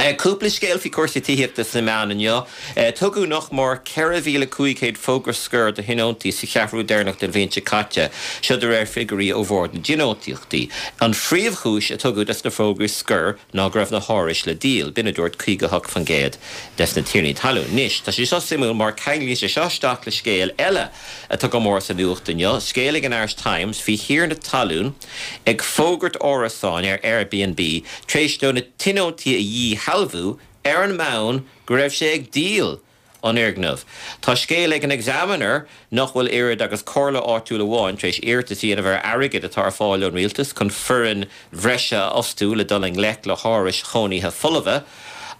Cúpla scéal faoi chúrsaí tithíochta sna meáin inniu. Tugadh nach mór 4,500 fógra scoir do thionóntaí sa cheathrú deireanach den bhliain seo caite, seo de réir figiúirí ó Bhord na dTionóntaíochtaí. An phríomhchúis a tugadh dos na fógraí scoir ná go raibh na hárais le díol, b'in a dúirt 58% des na tiarnaí talún. Anois, tá sé seo suimiúil mar ceanglaíonn sé seo isteach le scéal eile atá go mór sa nuacht inniu, scéal ag an Irish Times faoi thiarna talún ag fógairt árasáin ar Airbnb tar éis dó na tionóntaí a dhíshealbhú ar an mbonn go raibh sé ag díol an fhoirgnimh. Tá scéal ag an Examiner nach bhfuil oiread agus comhairle áitiúil amháin tar éis iarratas a dhéanamh ar airgead atá ar fáil ón rialtas chun foireann bhreise a fhostú le dul i ngleic le hárais chónaithe folmha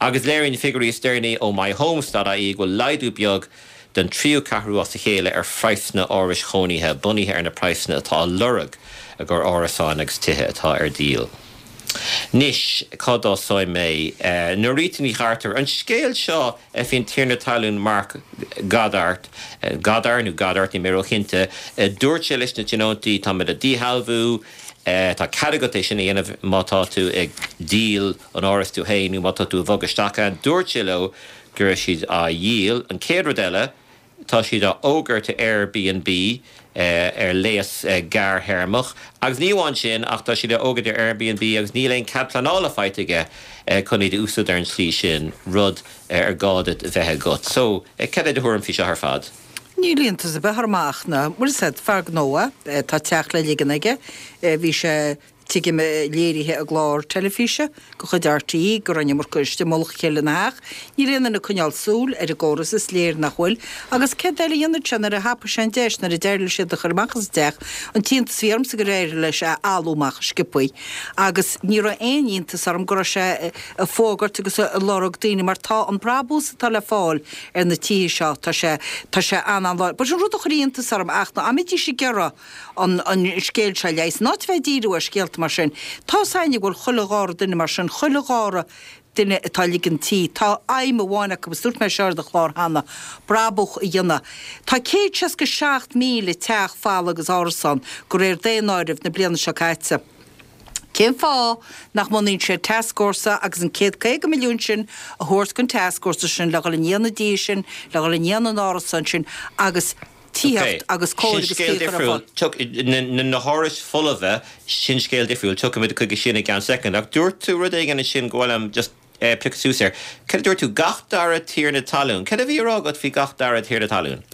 agus léiríonn figiúirí is deireanaí ó myhomes.ie go bhfuil laghdú beag don tríú ceathrú as a chéile ar phraghsanna árais chónaithe, bunaithe ar na praghsanna atá á lorg i gcomhair árasáin agus tithe atá ar díol. Anois, cá dtosóidh mé? Norita Ní Chartúir, an scéal seo faoin tiarna talún Mark Goddard, Goddard nó Goddard, níl mé róchinnte, dúirt sé leis na tionóntaí, táimid á díshealbhú, tá cead agat é sin a dhéanamh má tá tú ag díol an árais tú féin nó má tá tú ag bogadh isteach ann. Dúirt sé leo go raibh siad á dhíol. An chéad rud eile, tá siad á fhógairt ar Airbnb ar léas gearrthéarmach. Agus ní amháin sin, ach tá siad á fhógairt ar Airbnb agus níl aon cead pleanála faighte aige chun iad a úsáid ar an tslí sin, rud ar gá duit a bheith agat. So, cad é do thuairim faoi seo ar fad? Níl iontas ar bith orm ach na, bhfuil a fhios agat, fear gnó é, tá teach le ligean aige, bhí sé tuigim, léirithe i gclár teilifíse de chuid RTÉ go raibh an iomarca istigh i mullach a chéile ina theach. Níl aon duine ag coinneáil súil ar an gcóras, is léir nach bhfuil. Agus céard eile a dhéanfadh sé nuair a thapaigh sé an deis, nuair a d'éirigh leis iad a chur amach as an teach? An t-iontas a bhí ormsa gur éirigh leis é a fholú amach sciobthaí. Agus ní raibh aon iontas orm go raibh sé ag fógairt agus ag lorg daoine mar tá an brabús atá le fáil ar na tithe seo, tá sé, tá sé an-an-láidir. But an rud a chuir iontas orm ach ná dá mbeidís ag iarraidh an scéal seo a leigheas. In áit a bheith ag díriú ar scéalta mar sin, tá's a'inn go bhfuil chuile dhara duine mar sin, chuile dhara duine atá ag ligean tí, tá aidhm amháin acu, agus dúirt mé seo ar do chlár cheana, brabach a dhéanamh. Tá 167,000 teach folamh agus árasán, de réir daonáireamh na bliana seo caite. Cén fáth nach mbunaíonn siad tascfhórsa agus an 150 milliún sin a thabhairt don tascfhórsa sin le dhul i ndiaidh na dtithe sin, le dhul i ndiaidh na n-árasán sin agus tithíocht agus cóir agus scéal caoi a chur ar fáil. difriúil. Na hárais folmha, sin scéal difriúil, tiocfaimid chuige sin i gceann soicind. Ach dúirt tú rud éigin ansin go bhfuil liom just piocadh suas air. Cad a dúirt tú? Gach dara tiarna talún. Cad a bhí á rá agat faoi gach dara tiarna talún?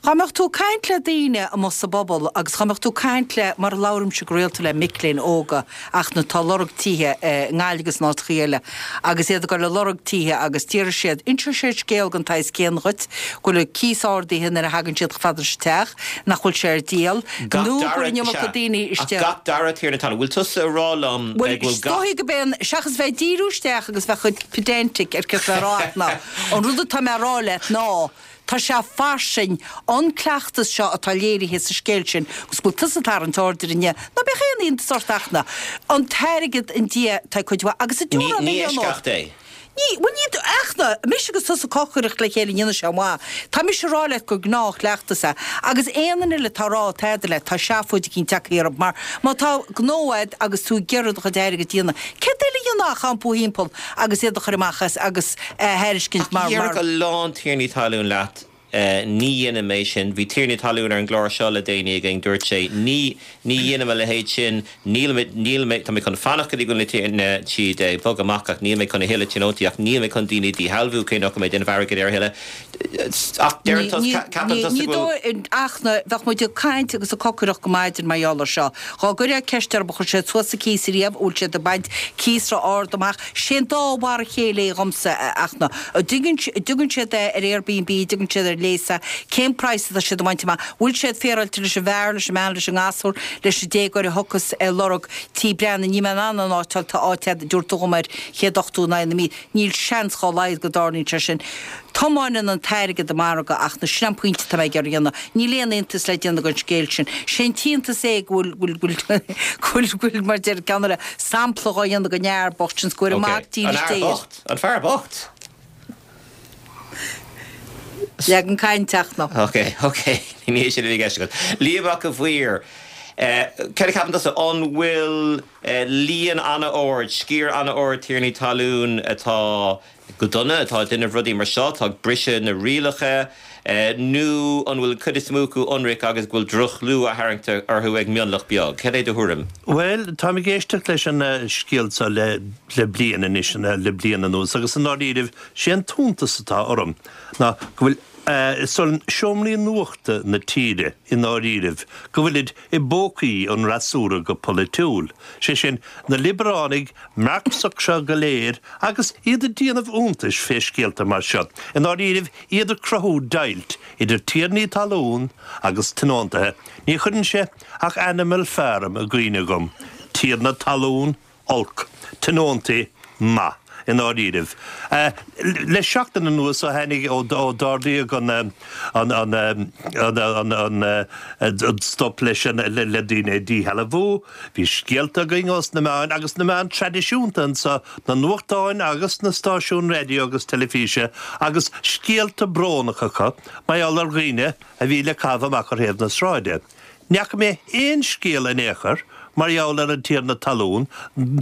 Dhá mbeadh tú ag caint le daoine amuigh sa bpobal agus dhá mbeadh tú ag caint le, mar a labhraímse go rialta le mic léinn óga ach na atá ag lorg tithe i nGaillimh agus in áiteachaí eile agus iad ag dul ag lorg tithe agus déarfaidh siad, inseoidh siad scéal den tsaghas céanna dhuit, go bhfuil an cíos ardaithe nuair a thagann siad chomh fada leis an teach, nach bhfuil sé ar díol, nó go bhfuil an iomarca daoine Ach istigh. gach dara tiarna talún. Bhfuil tusa ag rá liom Bhuel, go bhfuil is gach. dóigh go b'é an, seachas bheith ag díriú isteach agus bheith chomh pedantic ar céard atá mé a rá ach ná, an rud atá mé a rá leat ná, Tá sé fairsing, an cleachtas seo atá léirithe sa scéal sin, agus go bhfuil tusa ag tarraingt aird air inniu, ná bíodh aon iontas ort ach ná an t-airgead i ndiaidh tá cuid mhaith, agus an Ní, ní eisceacht é. Ní, bhuel ní, ach ná, mise agus tusa ag cocaireacht le chéile an ndéanfaidh sé maith. Tá mise ag rá leat gur gnáthchleachtas é. Agus aon duine eile atá ag rá tada leat, tá seafóid eicínt tagtha orthu, mar má tá gnó a'd agus tú ag iarraidh do chuid airgid a dhéanamh, céard eile a dhéanfá ach iompú thimpeall agus iad a chur amach as agus a thairiscint mar, mar. Déarfadh a lán tiarnaí talún leat, ní dhéanaim é sin. Bhí tiarna talún ar an gclár seo le déanaí againn, dúirt sé, ní, ní dhéanaim a leithéid sin, níl mé, níl mé, tá mé chun fanacht go dtí go bhfuil na, siad ag bogadh amach ach níl mé chun a thuilleadh tionóntaí ach níl mé chun daoine a dhíshealbhú cé nach bhfuil mé ag déanamh airgid air a thuilleadh. Ach deireann tusa, ceapann tusa go bhfuil. Ní dóigh, ach na, bheadh muid ag caint agus ag cocaireacht go maidin mar gheall air seo. Dhá gcuirfeá ceist orthu, an chuir siad suas an cíos ariamh, an bhfuil siad ag baint cíos ró-ard amach, Sé an dá mhar a chéile é dhomsa, ach na, an dtugann siad é ar Airbnb, an dtugann siad ar léas é, cén praghas atá siad ag baint amach, bhfuil siad féaráilte leis an bhfear, leis an mbean, leis an ngasúr, leis an déagóir a thiocfas ag lorg tí breathnaigh, níl mé in ann an áit a fháil, tá áit a'd, dúirt tú dhom ar 180 in aghaidh na mí, níl seans dhá laghad go dtarlaíonn sé sin. Tiomáineann an t-airgead an margadh ach na, sin an pointe atá mé ag iarraidh a dhéanamh. Níl aon iontas le déanamh den scéal sin. Sé an t-iontas é go bhfuil, go bhfuil, go bhfuil, go bhfuil, mar deir ceann eile, sampla dhá dhéanamh den fhear bocht sin 's go bhfuil an mac dílis Dé air. An fear bocht? An fear bocht? Leagan cainte ach ná. Ok, ok, ní hé sin a bhí i gceist agat. Liam Mac a' Mhaoir. Céard a cheapann tusa, an bhfuil líon an-ard, sciar an-ard tiarnaí talún atá go dona, atá ag déanamh rudaí mar seo, atá ag briseadh na rialacha, nó an bhfuil an chuid is mó acu ionraic agus go bhfuil droch-chlú á tharraingt orthu ag mionlach beag? Cad é do thuairim? Bhuel, táim ag éisteacht leis an scéal seo le bliain anois, le bliain anuas, agus i ndáiríribh, sé an t-iontas atá orm ná go bhfuil, san seomraí nuachta na tíre i ndáiríribh, go bhfuilid i bpócaí an fhreasúra go polaitiúil, sé sin, na liobaránaigh Marxach seo go léir agus iad ag déanamh iontais fé scéalta mar seo, i ndáiríribh iad ag cruthú deighilt idir tiarnaí talún agus tionóntaithe, ní chuireann sé ach Animal Farm i gcuimhne dhom, tiarna talún, olc, tionóntaí maith, i ndáiríribh. Le seachtain anuas ó tháinig, ó d'ardaíodh an, an, an, an, an, an stop leis an, le daoine a dhíshealbhú, bhí scéalta againn ós na meáin, agus na meáin traidisiúnta anso, na nuachtáin agus na stáisiúin raidió agus teilifíse, agus scéalta brónacha acu mar gheall ar dhaoine a bhí le caitheamh amach ar thaobh na sráide. Ní fhaca mé aon scéal in aon chor mar gheall ar an tiarna talún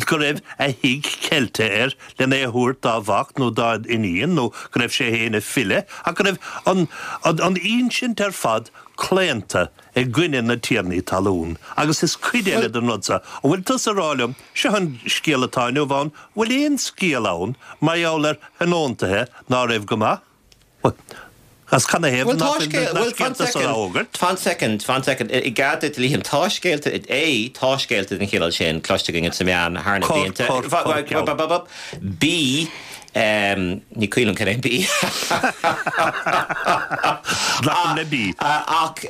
go raibh a thigh ceilte air len é a thabhairt dá mhac nó dá iníon nó go raibh sé féin ag filleadh ach go raibh an an insint ar fad claonta i gcoinne na tiarnaí talún. Agus is cuid eile den rud seo, an bhfuil tusa ag rá liom, seo an scéal atá inniu ann, an bhfuil aon scéal ann mar gheall ar thionóntaithe ná raibh go maith? As canathaobh Bhuel, ná tá fuil scéal, na bhuel, fan scéalta san á soicind, fhógairt? fan soicind, fan soicind, i gcead duit, a Liam, tá scéalta, A, tá scéalta den chineál sin cloiste againn sna meáin thar na Cor, blianta, cor, cor, ceann. B, ní cuimhin liom cad é an B. Glacaim le B. Ach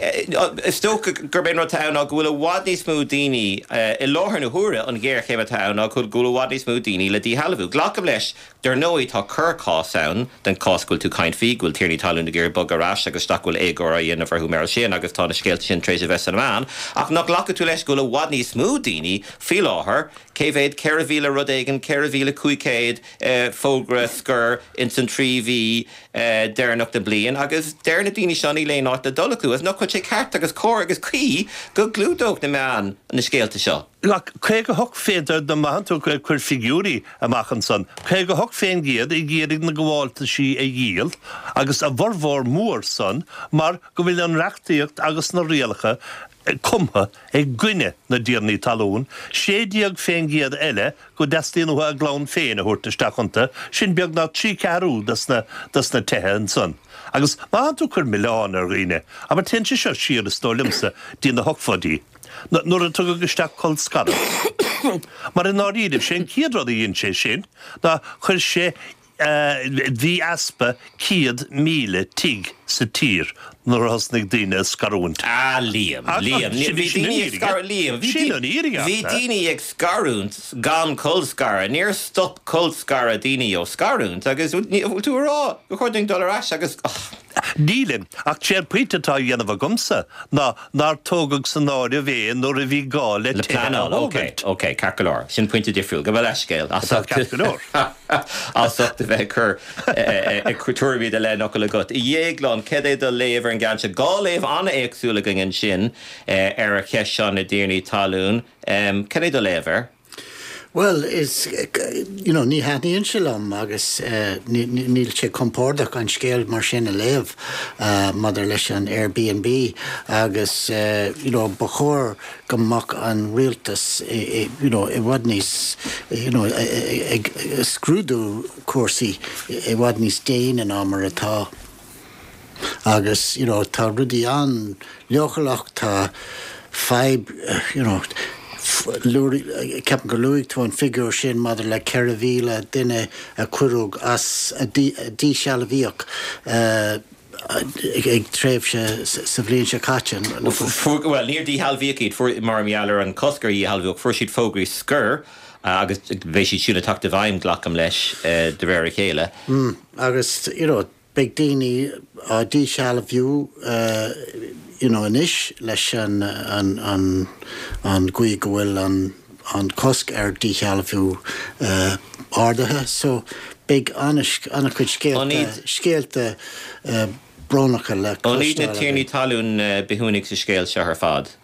is dócha gurb é an rud atá ann ná go bhfuil i bhfad níos mó daoine i láthair na huaire, an ghéarchéim atá ann ná go bhfuil i bhfad níos mó daoine le díshealbhú. Glacaim leis Dar ndóigh, tá corrchás ann den chás go bhfuil tú ag caint faoi, go bhfuil tiarnaí talún ag iarraidh bogadh ar ais agus isteach go bhfuil éagóir á dhéanamh orthu mar sin agus tá na scéalta sin tar éis a bheith sna meáin. Ach nach nglacfaidh tú leis go bhfuil i bhfad níos mó daoine faoi láthair, cé mhéad, 4,000 rud éigin, 4,500 fógra scoir ins an trí mhí deireanach den bliain agus deir na daoine seo níl aon áit le dul acu. Agus nach bhfuil sé ceart agus cóir agus cuí go gclúdódh na meáin na scéalta seo? Ach 58 fén dá mbeadh tú ag cur figiúirí amach ansan, 58 fén gcéad ag iarraidh na gabháltaisí a dhíol agus a bhformhór mór san mar go bhfuil an reachtaíocht agus na rialacha cumtha i gcoinne na dtiarnaí talún, 16 fén gcéad eile go dteastaíonn uathu a gclann féin a thabhairt isteach iontu, sin beagnach 3 ceathrú des na tithe ansan. Agus má thánn tú ag cur milleán ar dhaoine, abair téann sé seo siar is dóigh liomsa dtí na hochtóidí. Nuair a tugadh isteach colscaradh. Mar i ndáiríribh, sé an chéad rud a dhein sé sin ná chuir sé, bhí easpa 100,000 tigh sa tír nuair a thosnaigh daoine ag scarúint. Ah, Liam, Liam, bhí daoine ag scarúint, Liam, bhí daoine ag scarúint gan colscaradh, níor stop colscaradh daoine ó scarúint agus bhfuil tú a rá gur chóir dúinn dul ar ais agus, oh. Nílim, ach sé an pointe atá á dhéanamh agamsa ná nár tógadh san áireamh é nuair a bhí gá le Le tithe a pleanáil, ok, thógaint. ok, ceart go leor. Sin pointe difriúil. Gabh mo leithscéal as Atá ucht ceart go leor. as ucht a bheith ag cur ag cur tuairimí de leathfhocal agat. A Dhéagláin, cad é do léamh ar an gceann seo? Dhá léamh an-éagsúil againn ansin ar an cheist seo na dtiarnaí talún. Cad é do léamh air? Bhuel, is, you know, ní thaitníonn sé liom agus níl sé compordach an scéal mar sin a léamh maidir leis an Airbnb agus, you know, ba chóir go mbeadh an rialtas, you know, i bhfad níos, you know, ag scrúdú cúrsaí i bhfad níos déine ná mar atá. Agus, you know, tá rudaí an-leochaileach, tá fadhb, you know, ceapaim gur luaigh tú an figiúr sin maidir le 4,000 duine a cuireadh as, a díshealbhaíodh ag tréimhse sa bhliain seo caite. Bhuel, níor díshealbhaíodh iad, fuair, mar gheall ar an cosc ar dhíshealbhú, ach fuair siad fógraí scoir agus beidh siad siúd ag teacht i bhfeidhm, glacaim leis, de réir a chéile. Agus, you know, Beidh daoine á díshealbhú you know anois leis an an an gcaoi go bhfuil an an cosc ar díshealbhú ardaithe so beidh an-chuid scéalta scéalta brónacha le An iad na cloisteáil tiarnaí againn. talún na bithiúnaigh sa scéal seo ar fad?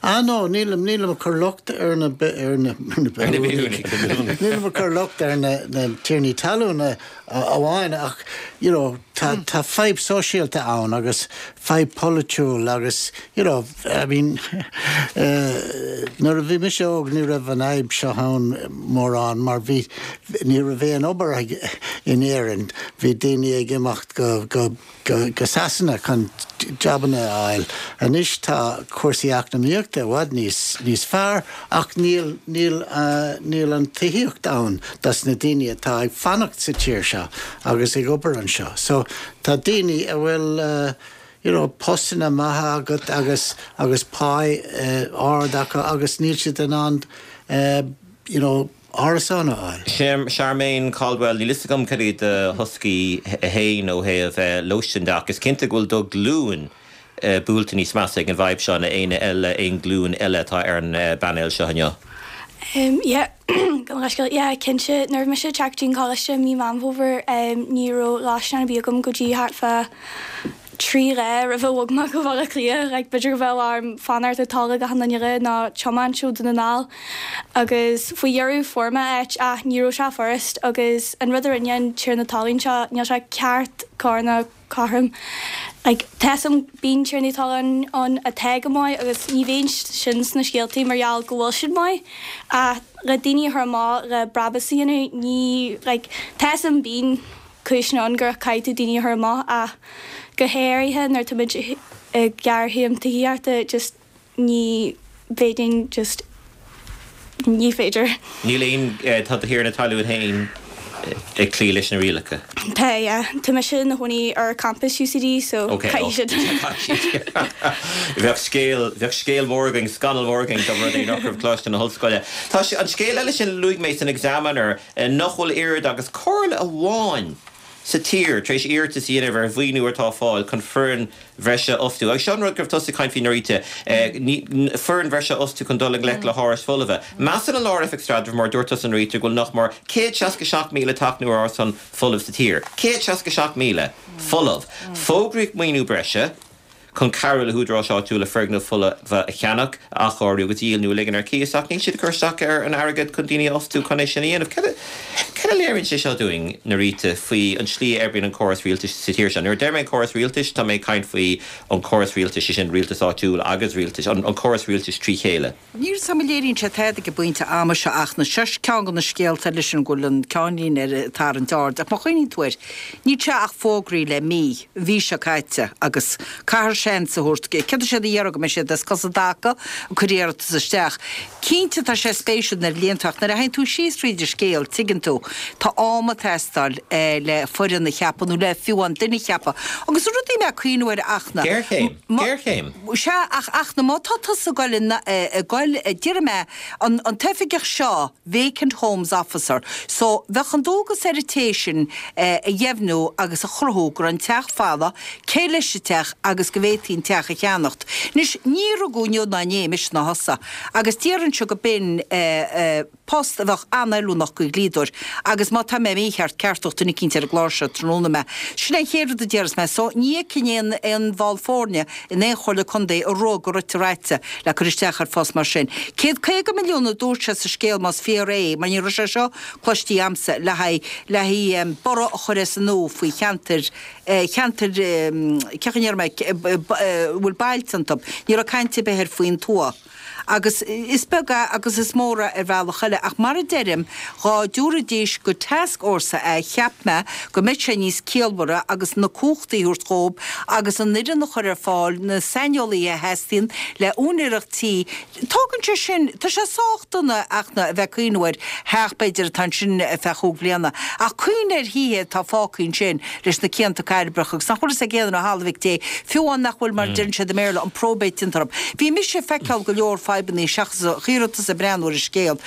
Ah no, nílim, nílim ag cur locht ar na, ar na, ar na bithiúnaigh. Nílim ag cur locht ar na, na tiarnaí talún amháin ach, you know, tá, tá fadhb sóisialta ann agus fadhb polaitiúil agus, you know, I mean, eh, nuair a bhí mise óg ní raibh an fhadhb seo ann mórán mar bhí, ní raibh aon obair ag, in Éirinn, bhí daoine ag imeacht go, go, go Sasana chun jabanna a fháil. Anois tá cúrsaí eacnamaíochta i bhfad níos níos fearr ach níl níl níl an tithíocht ann dos na daoine atá ag fanacht sa tír seo agus ag obair anseo. So tá daoine a bhfuil you know postanna maithe agat agus agus pá ard acu agus níl siad in ann you know árasán a fháil. Charmaine Caldwell, Níl fhios agam cad iad do thoscaí fhéin ó thaobh lóistín de ach is cinnte go bhfuil do ghlúin buailte níos measa ag an bhfadhb seo ná éinne eile, aon ghlúin eile atá ar an bpainéal seo inniu. Yeah, gabh mo leithscéal. Yeah, cinnte, nuair a bhí mise ag teacht go dtí an coláiste i mí Meán Fómhair, ní raibh lóistín ar bith agam go dtí thart fá 3 lá roimh a bhog mé go Baile Átha Cliath, like b'fhéidir go bheadh orm fanacht ar tolg achan duine eile nó tiomáint ó Dún na nGall agus faoi dheireadh fuair mé áit ach ní raibh sé furast agus an rud a rinne an tiarna talún seo níl sé ceart cóir ná cothrom like tá 'fhios a'm bíonn tiarnaí talún ann atá go maith agus ní bhíonn sin sna scéaltaí mar gheall go bhfuil siad maith ach le daoine a chur amach le brabús a dhéanamh ní like tá 'fhios a'm bíonn cúiseanna ann gur caithfidh tú daoine a chur amach ach go háirithe nuair tá muid i géarchéim tithíochta just ní bhféadfainn just ní féidir. Níl aon, tá do thiarna talún féin ag cloí leis na rialacha? Tá, yeah. Tá mise i mo chónaí ar campus UCD so caithfidh siad. Bheadh scéal, bheadh scéal mór againn, scannal mór againn dá mba rud é nach raibh Coláiste na hOllscoile. Tá sé, an scéal eile sin a luaigh mé san Examiner, nach bhfuil oiread agus comhairle amháin sa tír tar éis iarratas a dhéanamh ar mhaoiniú atá ar fáil chun foireann bhreise a fhostú. Agus seo an rud go raibh tusa ag caint faoi Norita, foireann bhreise a fhostú chun dul i ngleic le hárais fholmha. Measann an Lár-Oifig Staidrimh, mar a dúirt tusa Norita, go bhfuil nach mór 167,000 teach nó árasán folamh sa tír. 167,000 folamh! Fógraíodh maoiniú breise. chun cabhrú le húdaráis áitiúla foirgnimh fholmha a cheannach, a athchóiriú agus a dhíol nó a ligean ar cíos, ach níl siad ag cur isteach ar an airgead chun daoine a fhostú chun é sin a dhéanamh. Cad a, cad a léiríonn sé seo dúinn, Norita, faoi an tslí a oibríonn an córas rialtais sa tír seo? Nuair a deir mé an córas rialtais, tá mé ag caint faoi an córas rialtais, sé sin rialtas áitiúil agus rialtais, an córas rialtais trí chéile. Níl 's a'm an léiríonn sé tada ag an bpointe ama seo ach na seo ceann de na scéalta eile sin go bhfuil an ceannlíne air ag tarraingt aird ach má chuimhníonn tú air níl sé ach fógraithe le mí, an mhí seo caite agus caithfear seans a thabhairt céard tá siad a iarraidh go mbeidh siad as cos i dtaca ag cur iarratas isteach. Cinnte tá sé spéisiúil nuair a léann tú ach nuair a théann tú síos fríd an scéal tuigeann tú tá am ag teastáil le foireann a cheapadh nó le fiú amháin duine a cheapadh agus an rud a bhí mé ag cuimhneamh air ach na Géarchéim! Géarchéim! Sea, ach, ach na má tá tusa ag goil, ag goil, déarfaidh mé, an, an t-oifigeach seo, vacant homes officer, so bheadh an dualgas ar an té sin a dheimhniú agus a chruthú go raibh an teach folamh, cé leis an teach agus go bhféadfaí an teach a cheannacht. Anois, ní rugadh inniu ná inné mise ná thusa, agus déarfainnse go b'in eh, post a bheadh an-fheiliúnach do dhlíodóir agus má tá mé mícheart, ceartódh duine eicínt ar an gclár seo tráthnóna mé. Sin é an chéad rud a déarfas mé. So, ní fheicfinn aon aon bhall foirne in aon chomhairle contae ag rith go rite raite le cur isteach ar phost mar sin. 150 milliún a dúirt sé sa scéal más fíor é, mar ní raibh sé seo cloistí a'msa, le haghaidh le haghaidh borradh a chur as an nua faoi cheantair cheantair cén chaoi a ndéarfaidh mé a bhfuil bailte iontu. Ní raibh caint ar bith air faoin tuath. Agus is beag é agus is mór é ar bhealach eile, ach mar a deirim, dhá dtabharfaidís go tascfhórsa é, cheap mé go mbeadh sé níos ciallmhaire agus na cumhachtaí a thabhairt dhób agus an fhoireann a chur ar fáil, na saineolaithe a theastaíonn le úinéireacht tí. Tógann sé sin, tá sé sách dona ach na a bheith ag cuimhneamh ar theach b'fhéidir atá ansin ar feadh chúig bhliana, ach cuimhnigh ar thithe atá fágtha ansin leis na cianta cairbreacha agus nach bhfuil fhios ag aon duine ó thalamh mhic Dé, fiú amháin nach bhfuil mar a deireann siad i mBéarla, an probate déanta orthu. Bhí mise ag feiceáil go leor fadhbannaí seachas a chíoradh tusa ag breathnú ar an scéal.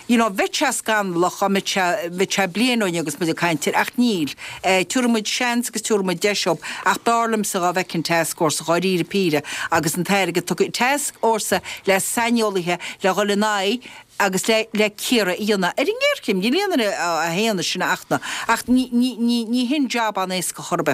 You know, bheadh sé scannalach dá mbeadh sé, bheadh sé bliain ó inniu agus muid ag caint air, ach níl. Eh, tiúrfaidh muid seans agus tiúrfaidh muid deis dhób, ach b'fhearr liomsa dhá bhfeicfinn tascfhórsa dháiríre píre agus an t-airgead tugtha, tascfhórsa le saineolaithe le dhul in aghaidh agus le, le cíoradh a dhéanamh ar an ngéarchéim. Níl aon duine a shéanadh sin ach na, ach ní, ní, ní, ní hin jab an-éasca chor ar bith.